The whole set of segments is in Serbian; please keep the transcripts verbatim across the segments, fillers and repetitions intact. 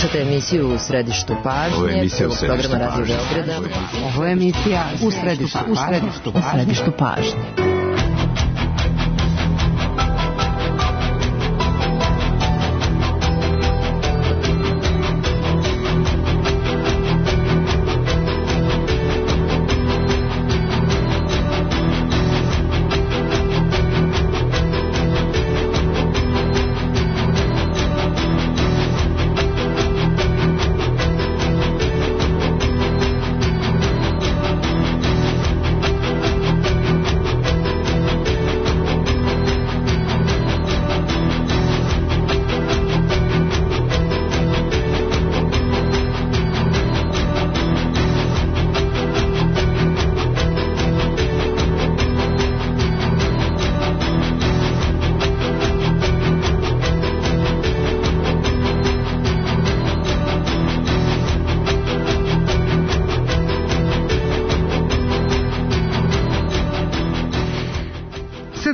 Slušate emisiju U središtu pažnje, prvog programa Radio Beograda. Ovo je emisija U središtu, u središtu, u središtu pažnje.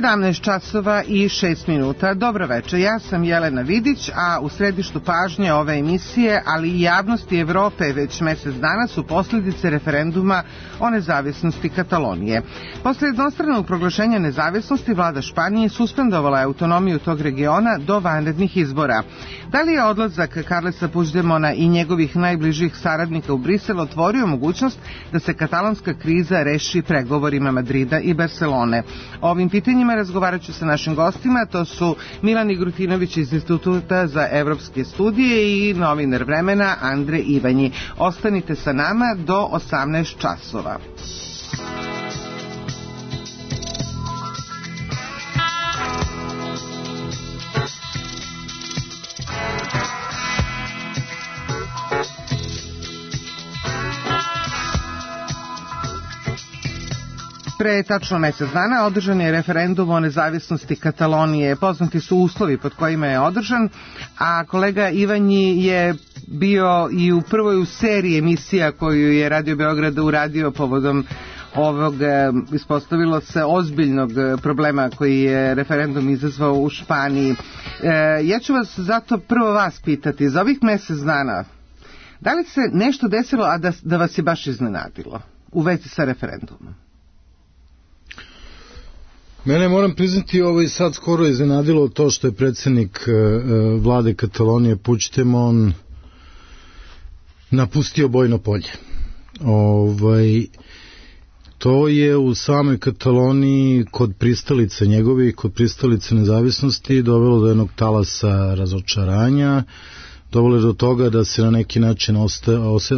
sedamnaest časova i šest minuta. Dobro večer, ja sam Jelena Vidić, a u središtu pažnje ove emisije, ali i javnosti Evrope već mesec dana su posljedice referenduma o nezavisnosti Katalonije. Posle jednostranog proglašenja nezavisnosti, vlada Španije suspendovala je autonomiju tog regiona do vanrednih izbora. Da li je odlazak Carlesa Puigdemona i njegovih najbližih saradnika u Brisel otvorio mogućnost da se katalonska kriza reši pregovorima Madrida i Barcelone? Ovim pitanjima razgovarat ću sa našim gostima, to su Milan Igrutinović iz Instituta za evropske studije i novinar Vremena Andre Ivanji. Ostanite sa nama do osamnaest časova. Pre tačno mesec dana održan je referendum o nezavisnosti Katalonije. Poznati su uslovi pod kojima je održan, a kolega Ivanji je bio i u prvoj u seriji emisija koju je Radio Beograd uradio povodom ovog, ispostavilo se, ozbiljnog problema koji je referendum izazvao u Španiji. Ja ću vas zato prvo vas pitati, za ovih mesec dana, da li se nešto desilo, a da, da vas je baš iznenadilo u vezi sa referendumom? Mene, moram priznati, ovo i sad skoro iznenadilo to što je predsjednik e, vlade Katalonije Puigdemont napustio bojno polje. Ovaj, to je u samoj Kataloniji kod pristalice njegove, kod pristalice nezavisnosti dovelo do jednog talasa razočaranja, dovelo do toga da se na neki način osta, ose,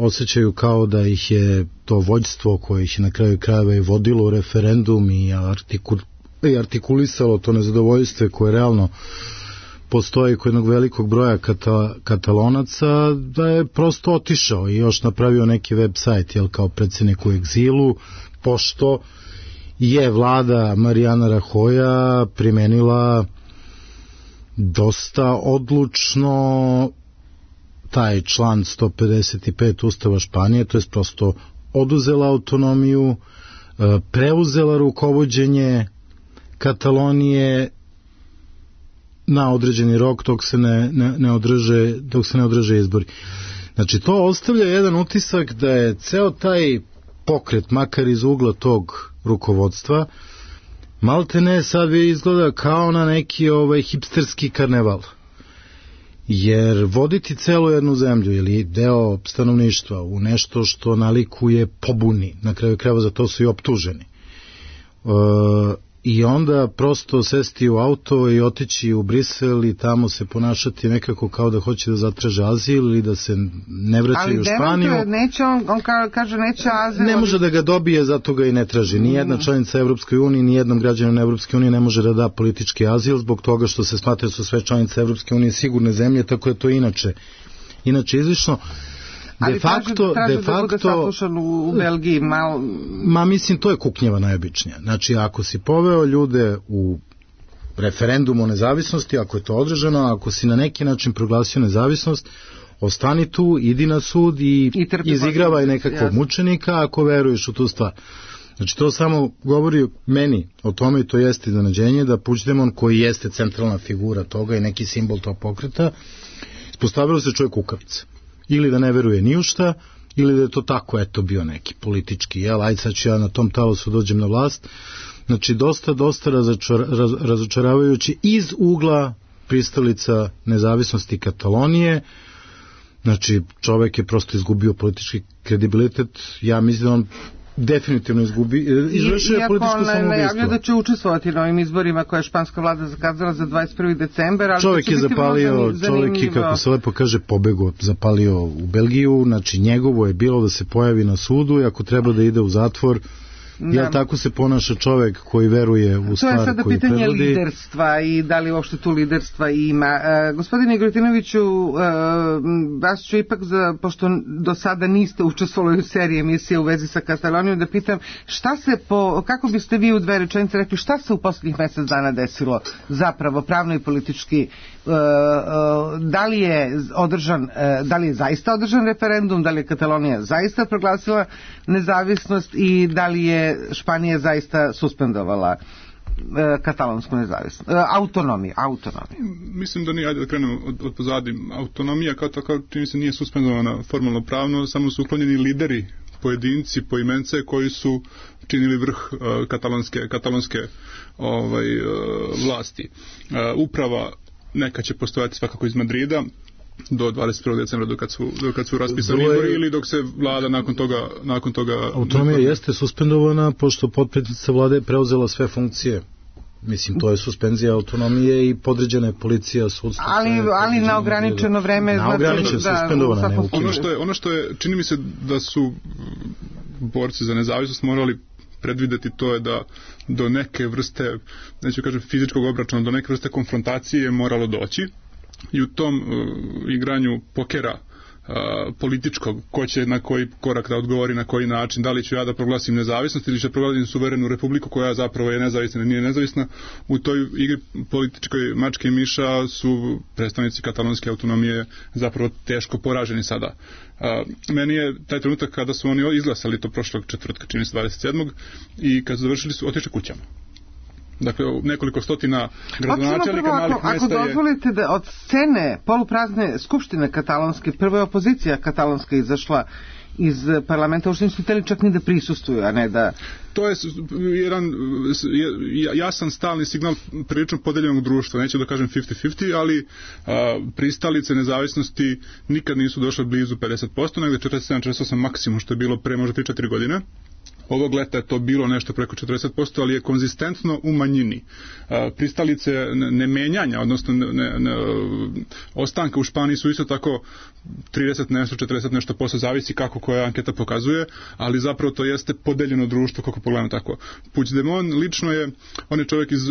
osjećaju kao da ih je to vođstvo koje ih je na kraju krajeva i vodilo u referendum i, artikul, i artikulisalo to nezadovoljstvo koje realno postoji kod jednog velikog broja kata, Katalonaca, da je prosto otišao i još napravio neki web sajt, jel, kao predsjednik u egzilu, pošto je vlada Mariana Rajoya primenila dosta odlučno taj član sto pedeset pet Ustava Španije, to je prosto oduzela autonomiju, preuzela rukovođenje Katalonije na određeni rok dok se ne, ne, ne održe, dok se ne održe izbori. Znači, to ostavlja jedan utisak da je ceo taj pokret, makar iz ugla tog rukovodstva, malte ne sad izgleda kao na neki ovaj hipsterski karneval. Jer voditi celu jednu zemlju ili deo stanovništva u nešto što nalikuje pobuni, na kraju krajeva za to su i optuženi. E, I onda prosto sesti u auto i otići u Brisel i tamo se ponašati nekako kao da hoće da zatraže azil ili da se ne vraćaju u Španiju. Ali neće, on, on kaže neće azil. Ne može da ga dobije, zato ga i ne traži. Nijedna članica Evropske unije, nijednom građaninu Evropske unije ne može da da politički azil zbog toga što se smatra da su sve članice Evropske unije sigurne zemlje, tako je to inače. Inače izlično. Ali de facto, traže, de traže da bude saslušan u Belgiji malo... Ma mislim, to je kuknjeva najobičnija. Znači, ako si poveo ljude u referendum o nezavisnosti, ako je to održano, ako si na neki način proglasio nezavisnost, ostani tu, idi na sud i, I izigravaj nekakvog jasno. mučenika ako veruješ u tu stvar. Znači, to samo govori meni o tome i to jeste iznenađenje da Puigdemont, koji jeste centralna figura toga i neki simbol tog pokreta, Ispostavilo se čovjek kukavce. Ili da ne veruje ni u šta, ili da je to tako, eto, bio neki politički, jel, ajde sad ću ja na tom talasu dođem na vlast. Znači, dosta, dosta razočar, raz, razočaravajući iz ugla pristalica nezavisnosti Katalonije. Znači, čovjek je prosto izgubio politički kredibilitet. Ja mislim da on definitivno izgubi, izvršio je političko samoubistvo. Iako on najavlja da će učestvovati na ovim izborima koje je španska vlada zakazala za dvadeset prvi decembar, ali čovjek je zapalio, čovjek je, kako se lepo kaže, pobego, zapalio u Belgiju, znači njegovo je bilo da se pojavi na sudu i ako treba da ide u zatvor. Jel tako se ponaša čovjek koji veruje u stvar koju prevodi? To je sada pitanje liderstva i da li uopšte tu liderstva ima. E, gospodine Grutinoviću, e, vas ću ipak, za, pošto do sada niste učestvovali u seriji emisije u vezi sa Katalonijom, da pitam šta se po, kako biste vi u dve rečenice rekli, šta se u posljednjih mjesec dana desilo zapravo pravno i politički? E, e, da li je održan, e, da li je zaista održan referendum, da li je Katalonija zaista proglasila nezavisnost i da li je Španija zaista suspendovala e, katalonsku nezavisnost, e, autonomiju, autonomiju. Mislim da nije, ajde da krenemo od, od pozadi. Autonomija kao tako čini se nije suspendovana formalno pravno, samo su uklonjeni lideri, pojedinci, poimence koji su činili vrh uh, katalonske, katalonske ovaj, uh, vlasti. Uh, uprava neka će postojati svakako iz Madrida do dvadeset prvog decembra dok kad su, dok kad su raspisani izbori ili dok se vlada nakon toga... Nakon toga autonomija nakon... jeste suspendovana pošto potpredsjednica vlade je preuzela sve funkcije. Mislim, to je suspenzija autonomije i podređena je policija, sudstvo. Ali, ali na ograničeno vreme... Na ograničeno, da, suspendovana, ne ukinuta. Ono što je, ono što je, čini mi se da su borci za nezavisnost morali predvideti, to je da do neke vrste, neću kažem fizičkog obračuna, do neke vrste konfrontacije je moralo doći. I u tom uh, igranju pokera uh, političkog, ko će na koji korak da odgovori, na koji način, da li ću ja da proglasim nezavisnost ili će proglasim suverenu republiku koja zapravo je nezavisna ili nije nezavisna, u toj igri političkoj mačke i miša su predstavnici katalonske autonomije zapravo teško poraženi sada. Uh, meni je taj trenutak kada su oni izglasali to prošlog četvrtka, čini se dvadeset sedmog i kad su završili su otišli kućama. Dakle, nekoliko stotina gradonačelnika malih mjesta je... Ako dozvolite da od scene poluprazne skupštine katalonske, prva je opozicija katalonska izašla iz parlamenta, uopšte nisu htjeli čak ni da prisustuju, a ne da... To je jedan jasan stalni signal prilično podeljenog društva, neću da kažem pedeset pedeset, ali a, pristalice nezavisnosti nikad nisu došle blizu pedeset posto, negde četrdeset sedam četrdeset osam maksimum, što je bilo pre možda tri četiri godine. Ovog leta je to bilo nešto preko četrdeset posto, ali je konzistentno u manjini. Pristalice nemenjanja, odnosno ne, ne, ne, ostanka u Španiji su isto tako trideset nešto, četrdeset nešto posto, zavisi kako koja anketa pokazuje, ali zapravo to jeste podeljeno društvo, kako pogledamo tako. Puigdemont lično je, on je čovjek iz,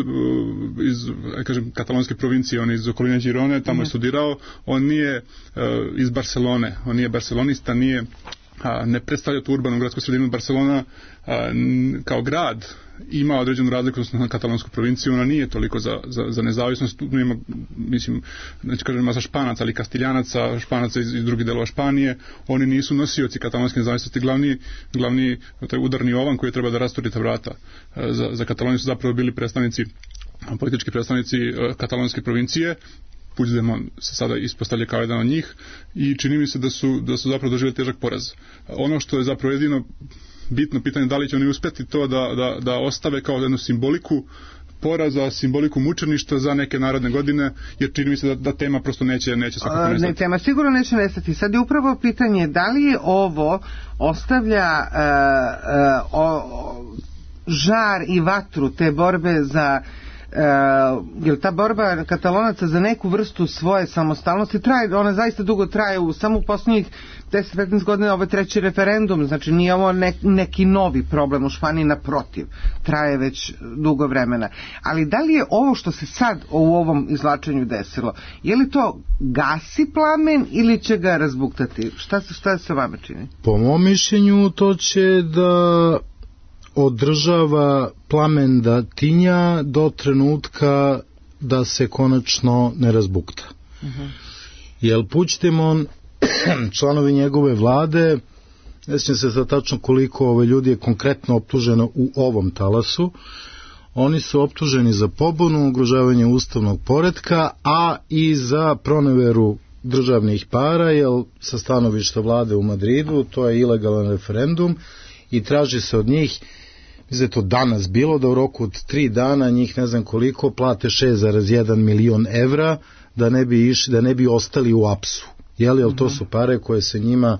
iz kažem, katalonske provincije, on je iz okoline Girone, tamo je studirao, on nije uh, iz Barcelone, on nije barcelonista, nije a, ne predstavlja tu urbanu gradsku sredinu. Barcelona a, n, kao grad ima određenu razliku na katalonsku provinciju, ona nije toliko za, za, za nezavisnost, nema, mislim, neću kažem masa Španaca, ali Kastiljanaca, Španaca iz, iz drugih delova Španije, oni nisu nosioci katalonske nezavisnosti, glavni, glavni taj udarni ovan koji treba da rasturi ta vrata za, za Kataloniju su zapravo bili predstavnici, politički predstavnici katalonske provincije. Puigdemont se sada ispostavlja kao jedan od njih i čini mi se da su, da su zapravo doživjeli težak poraz. Ono što je zapravo jedino bitno pitanje, da li će oni uspjeti to da, da, da ostave kao jednu simboliku poraza, simboliku mučeništva za neke narodne godine, jer čini mi se da, da tema prosto neće, neće svakako nestati. Ne, tema sigurno neće nestati. Sad je upravo pitanje da li je ovo ostavlja uh, uh, o, žar i vatru te borbe za Uh, jer ta borba Katalonaca za neku vrstu svoje samostalnosti traje, ona zaista dugo traje, u samo u posljednjih deset do petnaest godina ovo je treći referendum, znači nije ovo ne, neki novi problem u Španiji, naprotiv, traje već dugo vremena. Ali da li je ovo što se sad u ovom izvlačenju desilo, je li to gasi plamen ili će ga razbuktati? Šta se, šta se vama čini? Po mom mišljenju to će da održava plamen da tinja do trenutka da se konačno ne razbukta. Uh-huh. Jer Puigdemont, članovi njegove vlade, ne sjećam se za tačno koliko ove ljudi je konkretno optuženo u ovom talasu, oni su optuženi za pobunu, ugrožavanje ustavnog poretka, a i za proneveru državnih para, jer sa stanovišta vlade u Madridu to je ilegalan referendum i traži se od njih, mislim je to danas bilo, da u roku od tri dana njih ne znam koliko plate šest zarez jedan milion evra da ne bi, iš, da ne bi ostali u apsu. Jel, jel to su pare koje se njima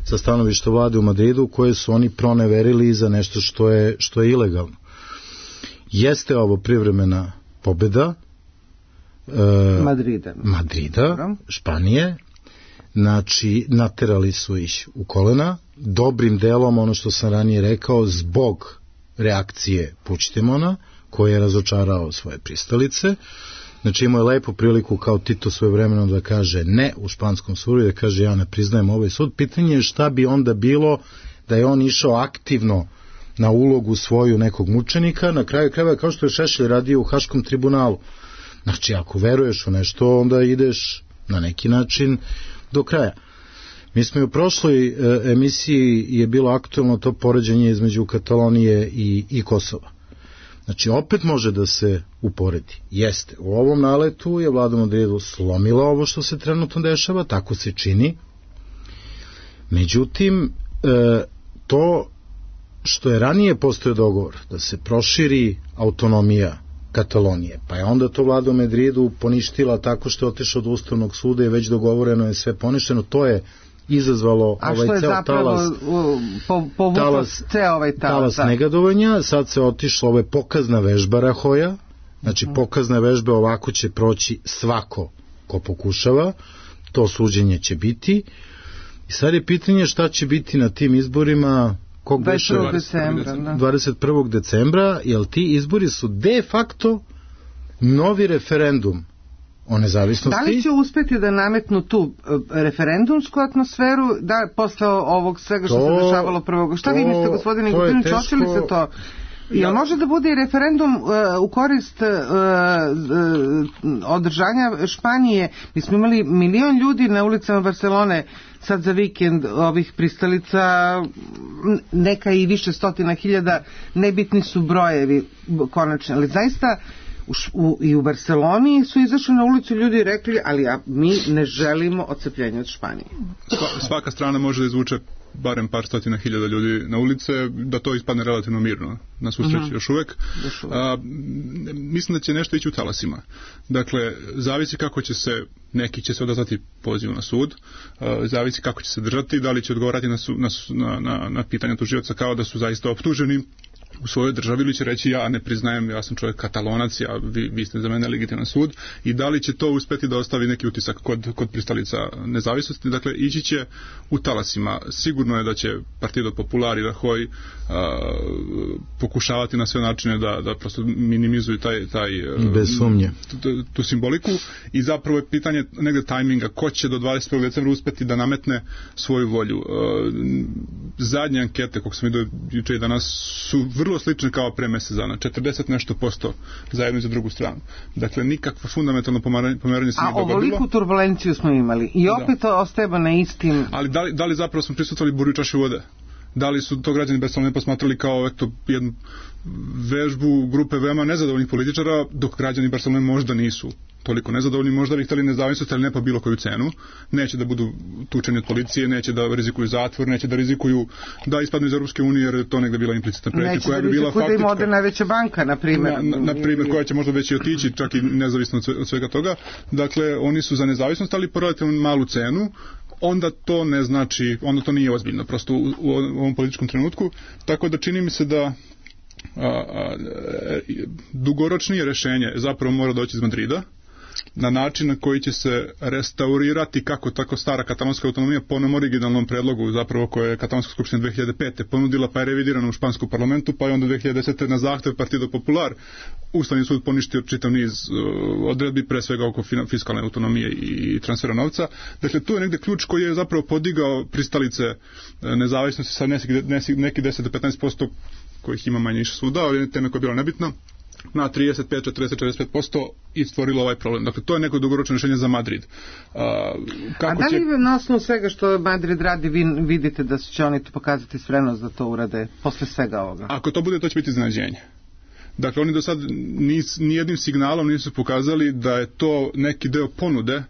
sa stanovišta vlade u Madridu, koje su oni proneverili za nešto što je, što je ilegalno. Jeste ovo privremena pobjeda e, Madrida. Madrida, Španije, znači naterali su ih u kolena, dobrim delom, ono što sam ranije rekao, zbog reakcije Puigdemona, koji je razočarao svoje pristalice. Znači imao je lepu priliku kao Tito svojevremeno da kaže ne u španskom sudu i da kaže ja ne priznajem ovaj sud. Pitanje je šta bi onda bilo da je on išao aktivno na ulogu svoju nekog mučenika, na kraju krajeva kao što je Šešelj radio u Haškom tribunalu. Znači ako veruješ u nešto, onda ideš na neki način do kraja. Mi smo u prošloj e, emisiji je bilo aktualno to poređenje između Katalonije i, i Kosova. Znači, opet može da se uporedi. Jeste, u ovom naletu je vlada Madridu slomila ovo što se trenutno dešava, tako se čini. Međutim, e, to što je ranije postoje dogovor da se proširi autonomija Katalonije, pa je onda to vlada u Madridu poništila tako što je otišao do Ustavnog suda i već dogovoreno je sve poništeno, to je izazvalo a ovaj ceo talas, po, po talas, ceo ovaj talas, talas negadovanja. Sad se otišlo, ovo je pokazna vežba Rahoja, znači uh-huh. pokazna vežba, ovako će proći svako ko pokušava, to suđenje će biti i sad je pitanje šta će biti na tim izborima kog dvadeset prvog decembra, da. dvadeset prvog decembra, jer ti izbori su de facto novi referendum o nezavisnosti. Da li će uspeti da nametnu tu referendumsku atmosferu da posle ovog svega što to, se dešavalo prvog? Šta to, vi mislite, gospodine Gutinić, hoće li se to? Jel ja. može da bude i referendum uh, u korist uh, uh, održanja Španije? Mi smo imali milion ljudi na ulicama Barcelone sad za vikend, ovih pristalica, neka i više stotina hiljada, nebitni su brojevi konačno, ali zaista U, u, i u Barceloni su izašli na ulicu ljudi i rekli, ali ja, mi ne želimo odcepljenje od Španije. Svaka strana može da izvuče barem par stotina hiljada ljudi na ulice, da to ispadne relativno mirno, na svu sreću uh-huh. još uvek. A, mislim da će nešto ići u talasima. Dakle, zavisi kako će se, neki će se odazvati pozivu na sud, a, zavisi kako će se držati, da li će odgovarati na, su, na, na, na, na pitanja tužioca kao da su zaista optuženi u svojoj državi, ili će reći ja ne priznajem, ja sam čovjek Katalonac, ja, vi, vi ste za mene legitiman sud, i da li će to uspeti da ostavi neki utisak kod, kod pristalica nezavisnosti. Dakle, ići će u talasima. Sigurno je da će Partido Popular i Rajoy a, pokušavati na sve načine da, da prosto minimizuju taj, taj bez sumnje tu, tu simboliku, i zapravo je pitanje negde tajminga, ko će do dvadeset prvog decembra uspeti da nametne svoju volju. A, zadnje ankete, kako sam vidio juče i danas, su vrlo slične kao pre mesec dana, četrdeset nešto posto za jednu i za drugu stranu. Dakle, nikakvo fundamentalno pomeranje, pomeranje se nije dogodilo. A ovoliku turbulenciju smo imali i opet da. ostajemo na istim... Ali da li, da li zapravo smo prisutovali buri u čaši vode? Da li su to građani Barcelone posmatrali kao eto, jednu vežbu grupe veoma nezadovoljnih političara, dok građani Barcelone možda nisu toliko nezadovoljni, možda bi hteli nezavisnost, ali ne po bilo koju cenu. Neće da budu tučeni od policije, neće da rizikuju zatvor, neće da rizikuju da ispadnu iz Europske unije, jer je to negde bila implicitna pretnja koja bi bila faktička. Neće da rizikuju da im ode najveća banka, na primjer. Na, na, na primjer, koja će možda već i otići, čak i nezavisno od svega toga. Dakle, oni su za nezavisnost, ali po relativno malu cenu. Onda to ne znači, onda to nije ozbiljno, prosto u, u ovom političkom trenutku. Tako da čini mi se da a, a, dugoročnije rešenje zapravo mora doći iz Madrida, na način na koji će se restaurirati kako tako stara katalonska autonomija po onom originalnom predlogu, zapravo koje je Katalonska skupština dve hiljade pete ponudila, pa je revidirana u španskom parlamentu, pa je onda dve hiljade desete na zahtev Partido Popular Ustavni sud poništio čitav niz uh, odredbi, pre svega oko fiskalne autonomije i transfera novca. Dakle, tu je negde ključ koji je zapravo podigao pristalice nezavisnosti sa neki, neki deset do petnaest posto kojih ima manje više svuda, ali tema koja je bila nebitna, na trideset pet, četrdeset, četrdeset pet posto i stvorilo ovaj problem. Dakle, to je neko dugoročno rješenje za Madrid. A, kako A da li će... na osnovu svega što Madrid radi, vi vidite da će oni to pokazati spremnost da to urade posle svega ovoga? Ako to bude, to će biti iznenađenje. Dakle, oni do sad nijednim signalom nisu pokazali da je to neki deo ponude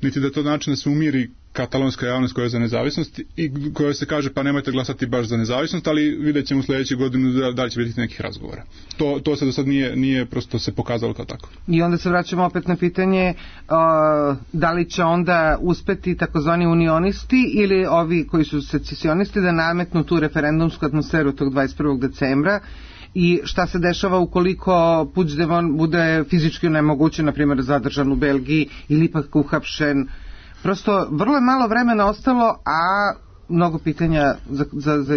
niti da to način da se umiri katalonska javnost koja je za nezavisnost i koja se kaže pa nemojte glasati baš za nezavisnost, ali vidjet ćemo u sljedećih godinu da, da li će biti nekih razgovora. To, to se do sad nije, nije prosto se pokazalo kao tako. I onda se vraćamo opet na pitanje uh, da li će onda uspeti takozvani unionisti ili ovi koji su secesionisti da nametnu tu referendumsku atmosferu tog dvadeset prvog decembra i šta se dešava ukoliko Puigdemont bude fizički nemogućen, na primjer zadržan u Belgiji ili ipak uhapšen. Prosto vrlo je malo vremena ostalo, a mnogo pitanja za, za, za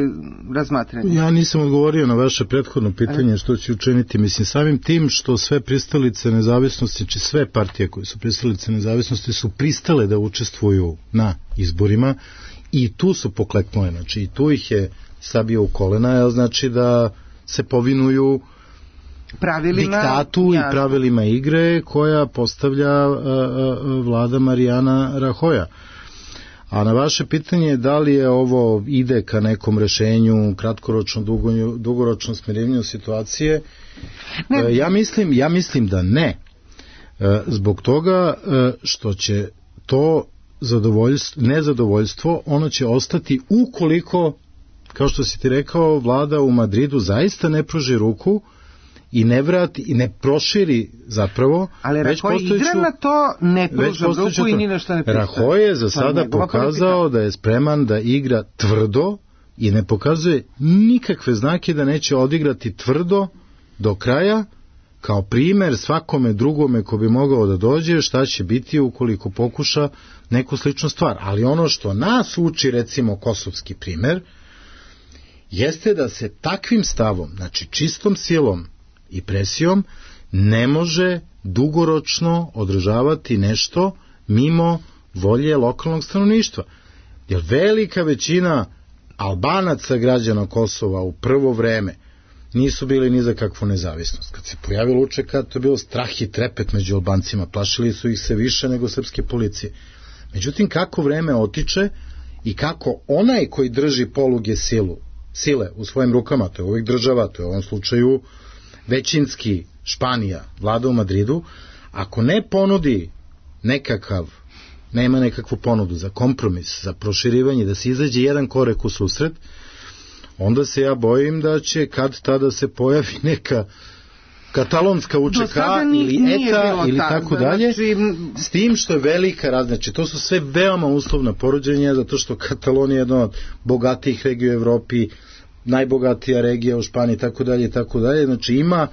razmatranje. Ja nisam odgovorio na vaše prethodno pitanje što će učiniti. Mislim, samim tim što sve pristalice nezavisnosti, či sve partije koje su pristalice nezavisnosti su pristale da učestvuju na izborima i tu su pokleknule, znači i tu ih je sabio u kolena, jel znači da se povinuju pravilima, diktatu ja. i pravilima igre koja postavlja a, a, vlada Marijana Rahoja. A na vaše pitanje da li je ovo ide ka nekom rešenju, kratkoročno, dugo, dugoročno smirenju situacije, ne. ja mislim, ja mislim da ne. Zbog toga što će to zadovoljstvo, nezadovoljstvo, ono će ostati ukoliko, kao što si ti rekao, vlada u Madridu zaista ne pruži ruku i ne vrati i ne proširi zapravo. Ali Rahoy igra na to, ne pruža ruku i ni na što ne pristaje. Rahoy je za sada pokazao politika. Da je spreman da igra tvrdo i ne pokazuje nikakve znake da neće odigrati tvrdo do kraja, kao primer svakome drugome ko bi mogao da dođe šta će biti ukoliko pokuša neku sličnu stvar. Ali ono što nas uči, recimo kosovski primer, jeste da se takvim stavom, znači čistom silom i presijom, ne može dugoročno održavati nešto mimo volje lokalnog stanovništva. Jer velika većina Albanaca građana Kosova u prvo vreme nisu bili ni za kakvu nezavisnost. Kad se pojavilo U Č K, to je bilo strah i trepet među Albancima, plašili su ih se više nego srpske policije. Međutim, kako vreme otiče i kako onaj koji drži poluge silu, sile u svojim rukama, to je uvijek država, to je u ovom slučaju većinski Španija, vlada u Madridu, ako ne ponudi nekakav, nema nekakvu ponudu za kompromis, za proširivanje, da se izađe jedan korek u susret, onda se ja bojim da će kad tada se pojavi neka katalonska U Č K ili E T A ili tako dalje, s tim što je velika razlika. Znači, to su sve veoma uslovna poređenja, zato što Katalonija je jedna od bogatijih regija u Evropi, najbogatija regija u Španiji, tako dalje i tako dalje. Znači, ima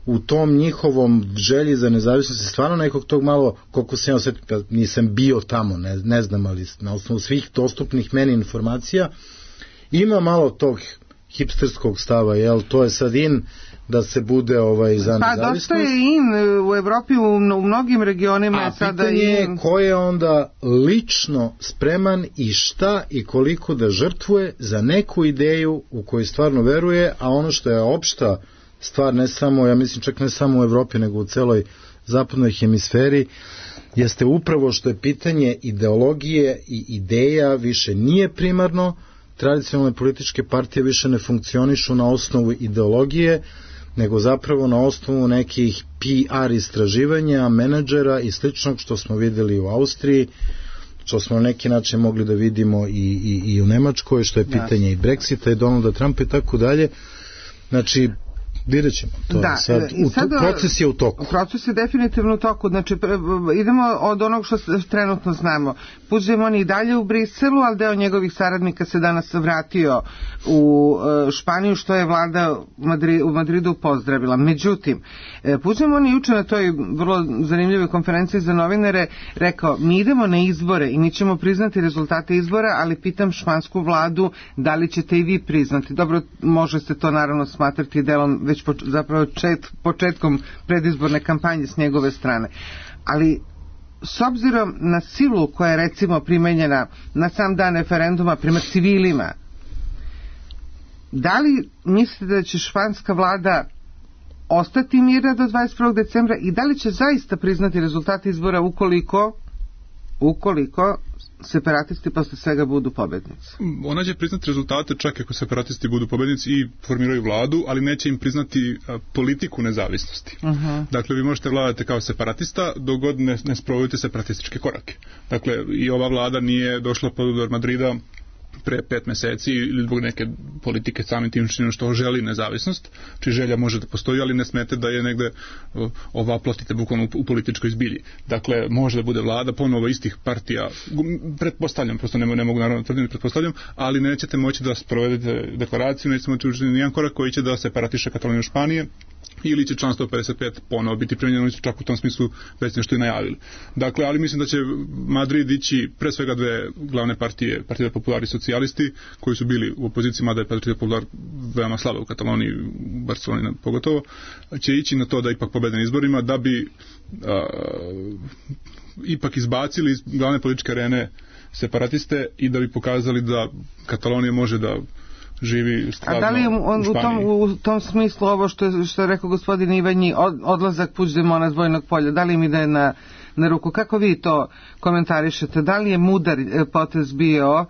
u tom njihovom želji za nezavisnost stvarno nekog tog malo, koliko sam ja osjetio, nisam bio tamo, ne, ne znam, ali na osnovu svih dostupnih meni informacija, ima malo tog hipsterskog stava, jel, to je sad in da se bude ovaj za nezavisnost. Pa dosta je in u Evropi, u, u mnogim regionima je sada in. A pitanje je ko je onda lično spreman i šta i koliko da žrtvuje za neku ideju u koju stvarno veruje, a ono što je opšta stvar, ne samo, ja mislim čak ne samo u Evropi, nego u celoj zapadnoj hemisferi, jeste upravo što je pitanje ideologije i ideja više nije primarno. Tradicionalne političke partije više ne funkcionišu na osnovu ideologije, nego zapravo na osnovu nekih P R istraživanja, menadžera i sličnog što smo vidjeli u Austriji, što smo na neki način mogli da vidimo i, i, i u Nemačkoj, što je pitanje i Brexita i Donalda Trumpa i tako dalje. Znači, vidjet ćemo. To da, je sad, u, sad, proces je u toku. Proces je definitivno u toku. Znači, idemo od onog što trenutno znamo. Puigdemont je i dalje u Briselu, ali deo njegovih saradnika se danas vratio u Španiju, što je vlada u Madridu pozdravila. Međutim, Puigdemont je juče na toj vrlo zanimljivoj konferenciji za novinare rekao, mi idemo na izbore i mi ćemo priznati rezultate izbora, ali pitam špansku vladu da li ćete i vi priznati. Dobro, može se to naravno smatrati delom već po, zapravo čet, početkom predizborne kampanje s njegove strane. Ali s obzirom na silu koja je recimo primenjena na sam dan referenduma prema civilima, da li mislite da će španska vlada ostati mirna do dvadeset prvog decembra i da li će zaista priznati rezultate izbora ukoliko ukoliko separatisti posle svega budu pobednici? Ona će priznati rezultate čak ako separatisti budu pobednici i formiraju vladu, ali neće im priznati a, politiku nezavisnosti. Uh-huh. Dakle, vi možete vladati kao separatista dok god ne, ne sprovodite separatističke korake. Dakle, i ova vlada nije došla pod udar Madrida pre pet meseci ili zbog neke politike samim tim činom što želi nezavisnost, či želja može da postoji, ali ne smete da je negde ova plotite bukvalno u, u političkoj zbilji. Dakle, može da bude vlada ponovo istih partija, pretpostavljam, prosto ne, ne mogu naravno tvrditi, pretpostavljam, ali nećete moći da sprovedete deklaraciju, nećete moći učiniti nijedan korak koji će da separatiše Kataloniju Španije, ili će član sto pedeset pet ponovo biti primjenjeno, oni su čak u tom smislu već nešto i najavili. Dakle, ali mislim da će Madrid ići pre svega dve glavne partije, Partida Popular i socijalisti, koji su bili u opoziciji, mada je Partida Popular veoma slaba u Kataloniji, u Barceloni pogotovo, će ići na to da ipak pobede na izborima, da bi a, ipak izbacili iz glavne političke arene separatiste i da bi pokazali da Katalonija može da živi stvarno. A da li on u, u, tom, u tom smislu ovo što je, što je rekao gospodin Ivanji, od, odlazak Puigdemona s vojnog polja, da li im ide na, na ruku? Kako vi to komentarišete? Da li je mudar potez bio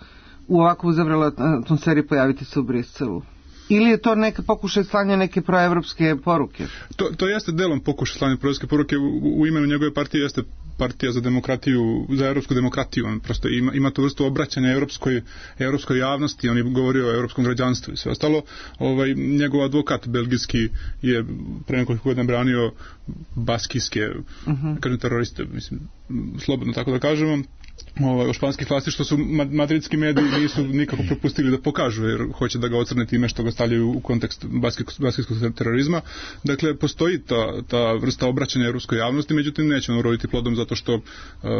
u ovakvu uzavrelu atmosferi pojaviti se u Briselu? Ili je to neka pokušaj slanja neke proevropske poruke? To, to jeste delom pokušaj slanja proevropske poruke. U, u imenu njegove partije jeste partija za demokratiju, za evropsku demokratiju. On prosto ima, ima tu vrstu obraćanja evropskoj, evropskoj javnosti. On je govorio o evropskom građanstvu i sve ostalo. Ovaj, njegov advokat belgijski je pre nekoliko godina branio baskijske uh-huh. kažem teroriste, mislim, slobodno tako da kažemo, ovaj, o španskih vlasti, što su madridski mediji nisu nikako propustili da pokažu, jer hoće da ga ocrne time što ga stavljaju u kontekst baskijskog terorizma. Dakle, postoji ta, ta vrsta obraćanja evropskoj javnosti, međutim neće on uroditi plodom zato što uh,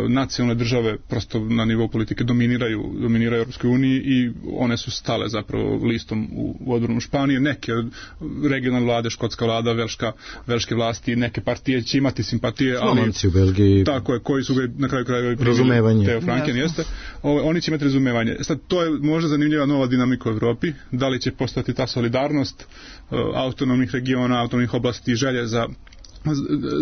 nacionalne države prosto na nivou politike dominiraju, dominiraju Europskoj uniji i one su stale zapravo listom u, u odbranu Španije. Neke regionalne vlade, škotska vlada, velška, velške vlasti, neke partije će imati simpatije, ali Slovenci u Belgiji, tako je, koji su ga na kraju krajeva razumevanje. Teo Franken jeste. O, oni će imati razumevanje. Sad, to je možda zanimljiva nova dinamika u Evropi. Da li će postati ta solidarnost uh, autonomnih regiona, autonomnih oblasti i želje za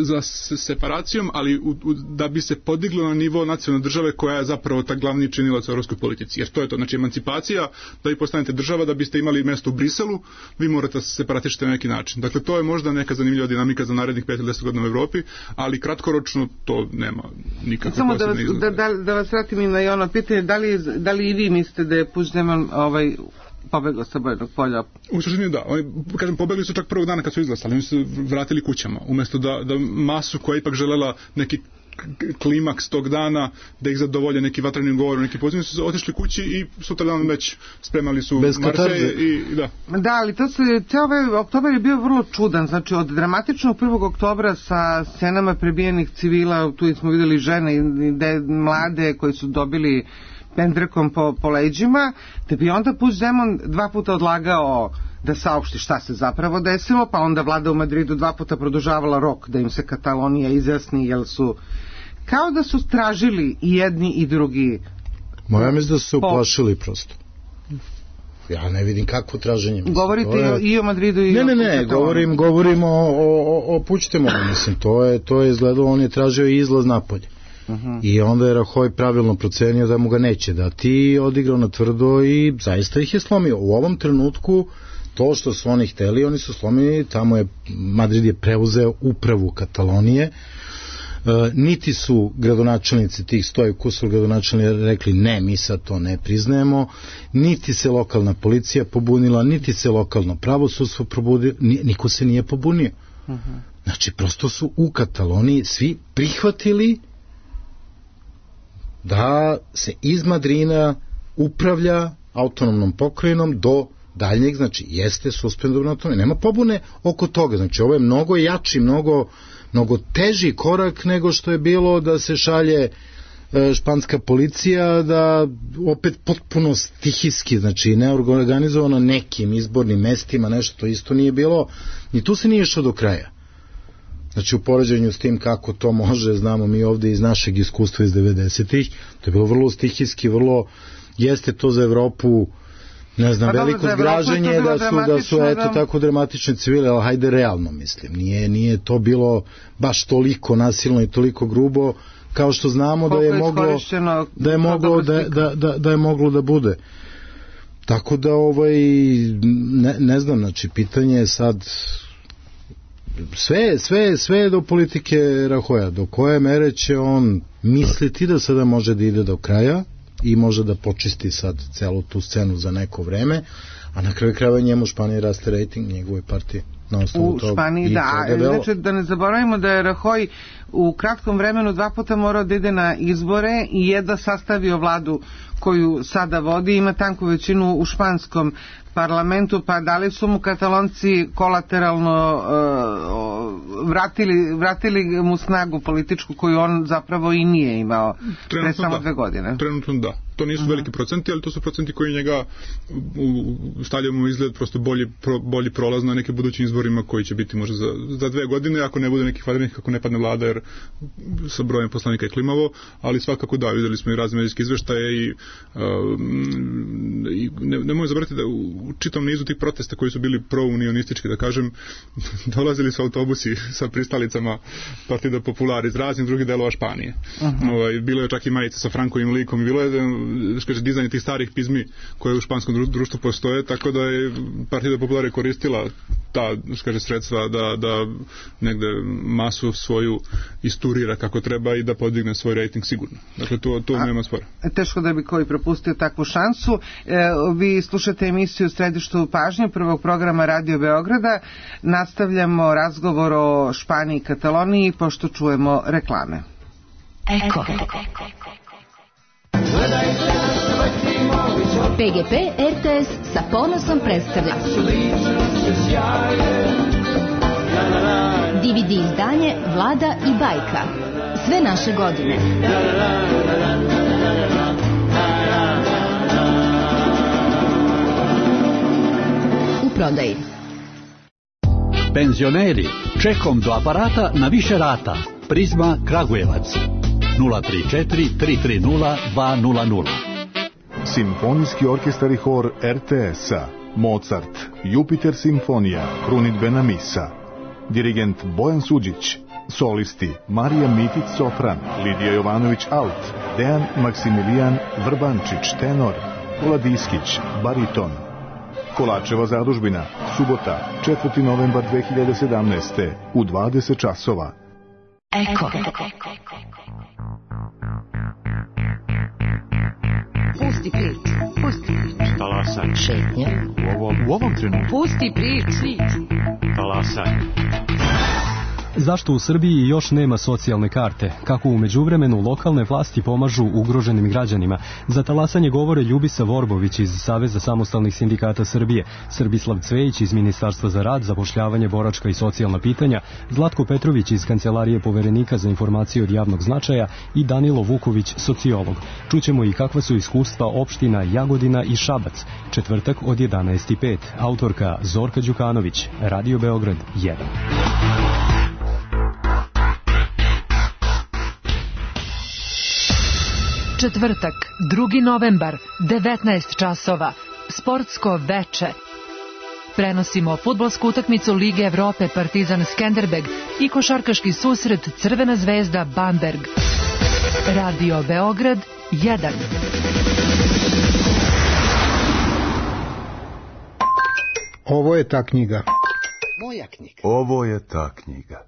za separacijom, ali u, u, da bi se podiglo na nivo nacionalne države koja je zapravo ta glavni činilac u evropskoj politici. Jer to je to, znači emancipacija, da vi postanete država, da biste imali mjesto u Briselu, vi morate se separatišiti na neki način. Dakle, to je možda neka zanimljiva dinamika za narednih pet ili deset godina u Evropi, ali kratkoročno to nema nikakve Samo posebne izglede. Samo da, da, da vas vratim i na ono pitanje, da li, da li i vi mislite da je Puigdemont ovaj pobegao sa bojnog polja? U suštini da. Oni, kažem, pobegli su čak prvog dana kad su izglasali. Oni su vratili kućama. Umjesto da, da masu koja ipak želela neki klimaks tog dana, da ih zadovolje neki vatreni govor, neki poziv, su otišli kući i sutra dan već spremali su Marseille i da. Da, ali to se, ceo ovaj oktobar je bio vrlo čudan, znači od dramatičnog prvog oktobra sa scenama prebijenih civila, tu smo vidjeli žene i de, mlade koji su dobili pendrekom po, po leđima, da bi onda Puigdemont dva puta odlagao da saopšti šta se zapravo desilo, pa onda vlada u Madridu dva puta produžavala rok da im se Katalonija izjasni, jer su kao da su tražili i jedni i drugi. Moja mislim da su se uplašili prosto. Ja ne vidim kakvo traženje. Mislim. Govorite je... i o Madridu i ne, o Ne, ne, ne, govorim, govorim o, o, o Puigdemontu, mislim, to je, to je izgledalo, on je tražio izlaz napolje. Uh-huh. I onda je Rajoy pravilno procenio da mu ga neće dati, odigrao na tvrdo i zaista ih je slomio. U ovom trenutku to što su oni hteli, oni su slomili, tamo je Madrid je preuzeo upravu Katalonije. E, niti su gradonačelnici tih stoje kusur gradonačelnici rekli ne, mi sad to ne priznajemo, niti se lokalna policija pobunila, niti se lokalno pravosudstvo probudilo, niko se nije pobunio. Uh-huh. Znači, prosto su u Kataloniji svi prihvatili da se iz Madrina upravlja autonomnom pokrajinom do daljnjeg, znači jeste suspendovano autonomija. Nema pobune oko toga, znači ovo je mnogo jači, mnogo, mnogo teži korak nego što je bilo da se šalje e, španska policija, da opet potpuno stihijski, znači neorganizovano nekim izbornim mestima, nešto to isto nije bilo, ni tu se nije išlo do kraja. Znači u poređenju s tim kako to može, znamo mi ovdje iz našeg iskustva iz devedesetih, to je bilo vrlo stihijski, vrlo, jeste to za Evropu, ne znam, pa veliko zgraženje da su, da su eto da... tako dramatične civile, ali hajde realno mislim, nije, nije to bilo baš toliko nasilno i toliko grubo kao što znamo da je moglo da je moglo da, da, da, da je moglo da bude. Tako da ovaj ne, ne znam, znači pitanje je sad sve, sve, sve je do politike Rahoja, do koje mere će on misliti da sada može da ide do kraja i može da počisti sad celu tu scenu za neko vreme, a na kraju krajeva njemu Španiji raste rating njegove partije. U Španiji, da. Znači, da ne zaboravimo da je Rajoy u kratkom vremenu dva puta morao da ide na izbore i jedva sastavio vladu koju sada vodi, ima tanku većinu u španskom parlamentu, pa da li su mu Katalonci kolateralno uh, vratili, vratili mu snagu političku koju on zapravo i nije imao pre samo dve godine? Trenutno da. To nisu uh-huh. veliki procenti, ali to su procenti koji njega stavljaju mu izgled prosto bolji, pro, bolji prolaz na neke budućim izborima koji će biti možda za, za dve godine, ako ne bude nekih vanrednih, kako ne padne vlada, jer sa brojem poslanika je klimavo, ali svakako da, videli smo i razne medijske izveštaje i, uh, i ne, ne možemo zaboraviti da u čitom nizu tih protesta koji su bili pro-unionistički, da kažem, dolazili su autobusi sa pristalicama Partida Popular iz raznih drugih delova Španije. Uh-huh. Ovaj, bilo je čak i majice sa Frankovim likom i bilo je kaže, dizajn tih starih pizmi koje u španskom društvu postoje, tako da je Partida Popular koristila ta kaže, sredstva da, da negde masu svoju isturira kako treba i da podigne svoj rating sigurno. Dakle, to, to nema spora. Teško da bi koji propustio takvu šansu. E, vi slušate emisiju Središtu pažnje prvog programa Radio Beograda. Nastavljamo razgovor o Španiji i Kataloniji pošto čujemo reklame. Eko. P G P R T S sa ponosom predstavlja D V D izdanje Vlada i bajka. Sve naše godine. U prodaji. Penzioneri, čekom do aparata na više rata. Prizma Kragujevac. nula tri četiri tri tri nula dva nula nula. Simfonijski orkestar i hor R T S-a, Mozart, Jupiter simfonija, krunidbena misa. Dirigent Bojan Suđić, solisti Marija Mitić sopran, Lidija Jovanović alt, Dejan Maksimilijan Vrbančić tenor, Vladiskić bariton. Kolačeva zadužbina, subota, četvrti novembar dve hiljade sedamnaeste. u dvadeset časova. Eko. Pusti prič, pusti prič. Talasaj. Šetnja. U ovom, u ovom trenutku. Pusti prič. Talasaj. Zašto u Srbiji još nema socijalne karte? Kako u međuvremenu lokalne vlasti pomažu ugroženim građanima? Za talasanje govore Ljubisa Vorbović iz Saveza samostalnih sindikata Srbije, Srbislav Cvejić iz Ministarstva za rad, zapošljavanje, boračka i socijalna pitanja, Zlatko Petrović iz Kancelarije poverenika za informacije od javnog značaja i Danilo Vuković, sociolog. Čućemo i kakva su iskustva opština Jagodina i Šabac. Četvrtak od jedanaest i pet. Autorka Zorka Đukanović, Radio Beograd jedan. Četvrtak, drugi novembar, devetnaest časova, sportsko veče. Prenosimo fudbalsku utakmicu Lige Evrope Partizan Skenderbeg i košarkaški susret Crvena zvezda Bamberg. Radio Beograd jedan. Ovo je ta knjiga. Moja knjiga. Ovo je ta knjiga.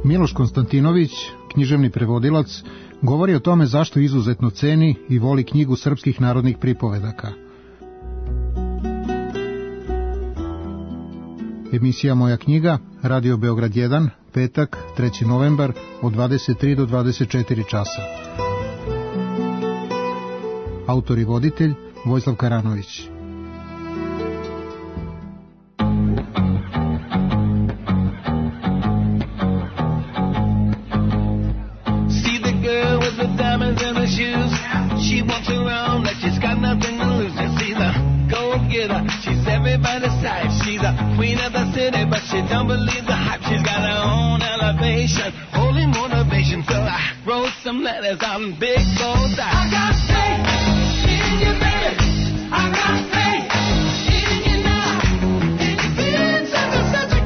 Miloš Konstantinović, književni prevodilac, govori o tome zašto izuzetno ceni i voli knjigu srpskih narodnih pripovedaka. Emisija Moja knjiga, Radio Beograd jedan, petak, treći novembar, od dvadeset tri do dvadeset četiri časa. Autor i voditelj Vojislav Karanović. Everybody's side. She's a queen of the city, but she don't believe the hype. She's got her own elevation, holy motivation. So I wrote some letters on big gold dice. I got faith in you, baby. I got faith in you now. If you're feeling such a, such a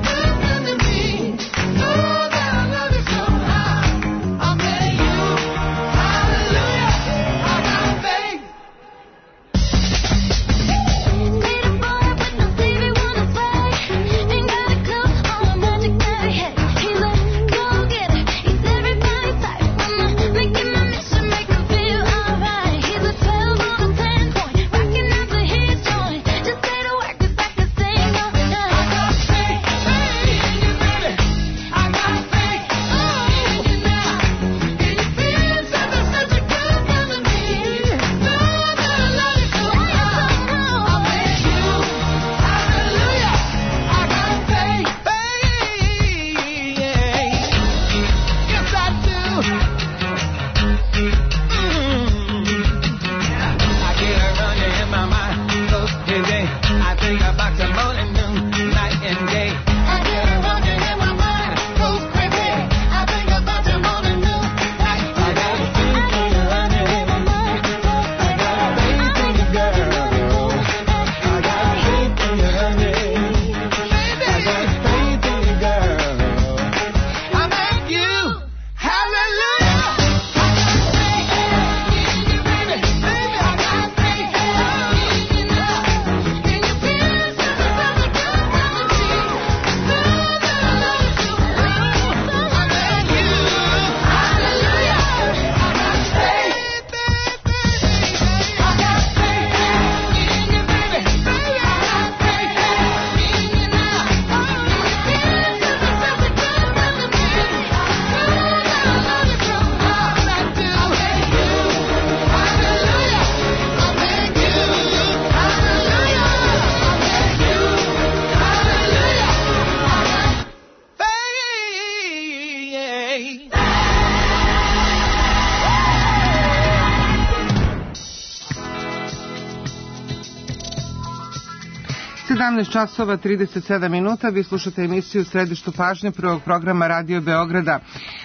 sedamnaest časova trideset sedam minuta, vi slušate emisiju u središtu pažnje prvog programa Radio Beograda.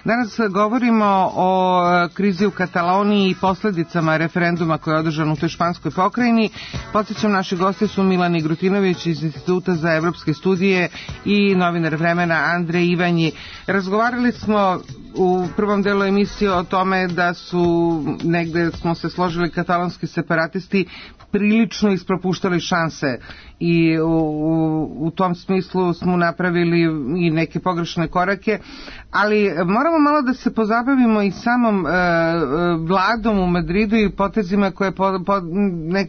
Danas govorimo o krizi u Kataloniji i posledicama referenduma koji je održan u toj španskoj pokrajini. Podsjećam, naši gosti su Milan Igrutinović iz Instituta za evropske studije i novinar Vremena Andrej Ivanji. Razgovarali smo u prvom delu emisije o tome da su negde smo se složili katalonski separatisti prilično ispropuštali šanse i u, u, u tom smislu smo napravili i neke pogrešne korake, ali moramo malo da se pozabavimo i samom e, vladom u Madridu i potezima koje, po, po, ne,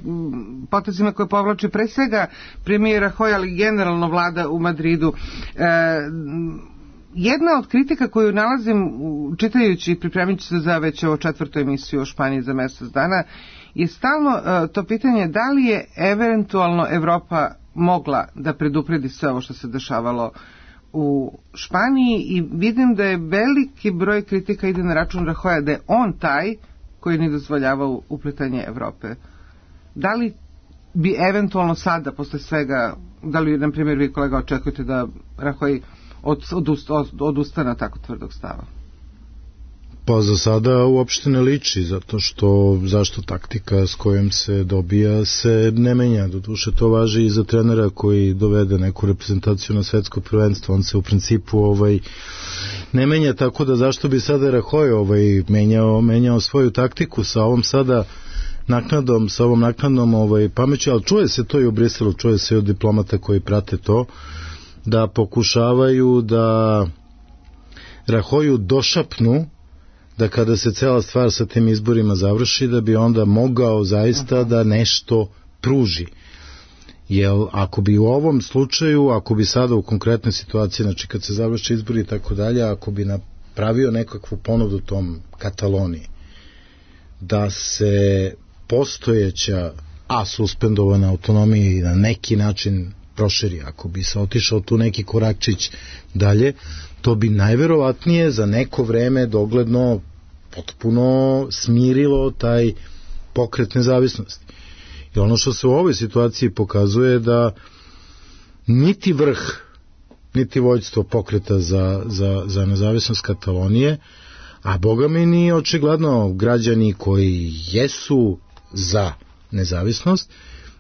potezima koje povlači pre svega premijer Rajoy, ali generalno vlada u Madridu. E, Jedna od kritika koju nalazim čitajući i pripremajući se za već ovo četvrtu emisiju o Španiji za mesec dana je stalno uh, to pitanje da li je eventualno Evropa mogla da predupredi sve ovo što se dešavalo u Španiji, i vidim da je veliki broj kritika ide na račun Rajoya, da je on taj koji ne dozvoljava upletanje Evrope. Da li bi eventualno sada posle svega, da li na primjer vi kolega očekujete da Rajoy Od, od, odustana tako tvrdog stava? Pa za sada uopšte ne liči, zato što zašto taktika s kojom se dobija se ne menja. Doduše to važi i za trenera koji dovede neku reprezentaciju na svetsko prvenstvo, on se u principu ovaj ne menja, tako da zašto bi sada Rajoy ovaj menjao, menjao svoju taktiku sa ovom sada naknadom, sa ovom naknadnom ovaj pameću, ali čuje se to i u Briselu, čuje se i od diplomata koji prate to, da pokušavaju da Rajoyu došapnu da kada se cela stvar sa tim izborima završi, da bi onda mogao zaista da nešto pruži. Jer ako bi u ovom slučaju, ako bi sada u konkretnoj situaciji, znači kad se završi izbori i tako dalje, ako bi napravio nekakvu ponudu tom Kataloniji, da se postojeća, a suspendovana autonomija i na neki način proširi, ako bi se otišao tu neki korakčić dalje, to bi najverovatnije za neko vreme dogledno potpuno smirilo taj pokret nezavisnosti. I ono što se u ovoj situaciji pokazuje da niti vrh, niti vođstvo pokreta za, za, za nezavisnost Katalonije, a boga mi ni očigledno građani koji jesu za nezavisnost,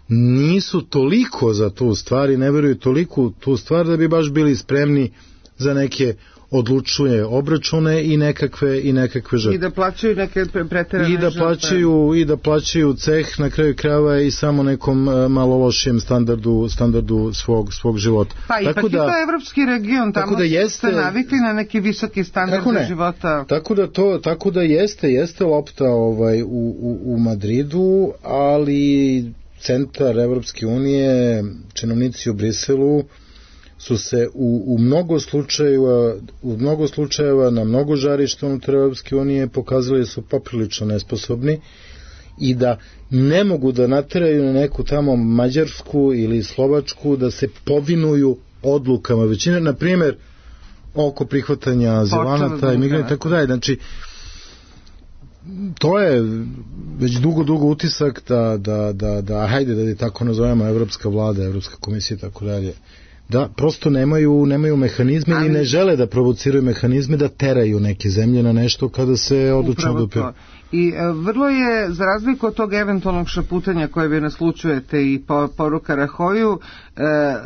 nisu toliko za tu stvar i ne veruju toliko tu stvar da bi baš bili spremni za neke odlučuje obračune i nekakve i nekakve žrtve. I da plaćaju neke preterane I da plaćaju i da plaćaju ceh na kraju krajeva i samo nekom malo lošijem standardu standardu svog svog života. Pa tako ipak da, je to evropski region, tamo da jeste, ste navikli na neki visoki standard života. Tako da to tako da jeste jeste lopta ovaj u u, u Madridu, ali centar Evropske unije, činovnici u Briselu su se u, u mnogo slučajeva u mnogo slučajeva na mnogo žarišta unutar Evropske unije pokazali su poprilično nesposobni i da ne mogu da nateraju na neku tamo Mađarsku ili Slovačku da se povinuju odlukama većine, na primjer oko prihvatanja azilanata i migranata i tako dalje. Znači to je već dugo, dugo utisak da, da, da, da hajde da je tako nazovemo Evropska vlada, Evropska komisija i tako dalje, da prosto nemaju, nemaju mehanizme i ne žele da provociraju mehanizme da teraju neke zemlje na nešto kada se odlučno odupio. I e, vrlo je, za razliku od tog eventualnog šaputanja koje vi naslučujete i po, poruka Rajoyu, e, e,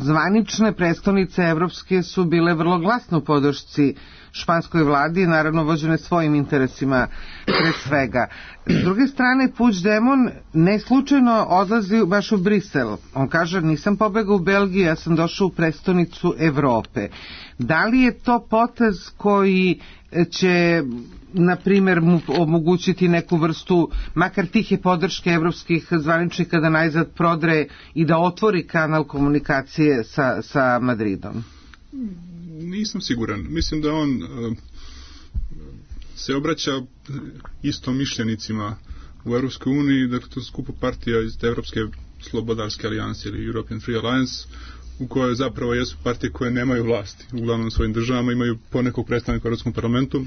zvanične prestonice evropske su bile vrlo glasno u podršci španskoj vladi, naravno vođene svojim interesima pre svega. S druge strane, Puigdemont ne slučajno odlazi baš u Brisel. On kaže, nisam pobegao u Belgiju, ja sam došao u prestonicu Evrope. Da li je to potez koji će, na primjer, mu omogućiti neku vrstu, makar tihe podrške evropskih zvaničnika da najzad prodre i da otvori kanal komunikacije sa, sa Madridom? Nisam siguran. Mislim da on uh, se obraća istomišljenicima u Evropskoj uniji, dakle to skupo partija iz Evropske slobodarske alijanse ili European Free Alliance, u kojoj zapravo jesu partije koje nemaju vlasti uglavnom u svojim državama, imaju ponekog predstavnika u Europskom parlamentu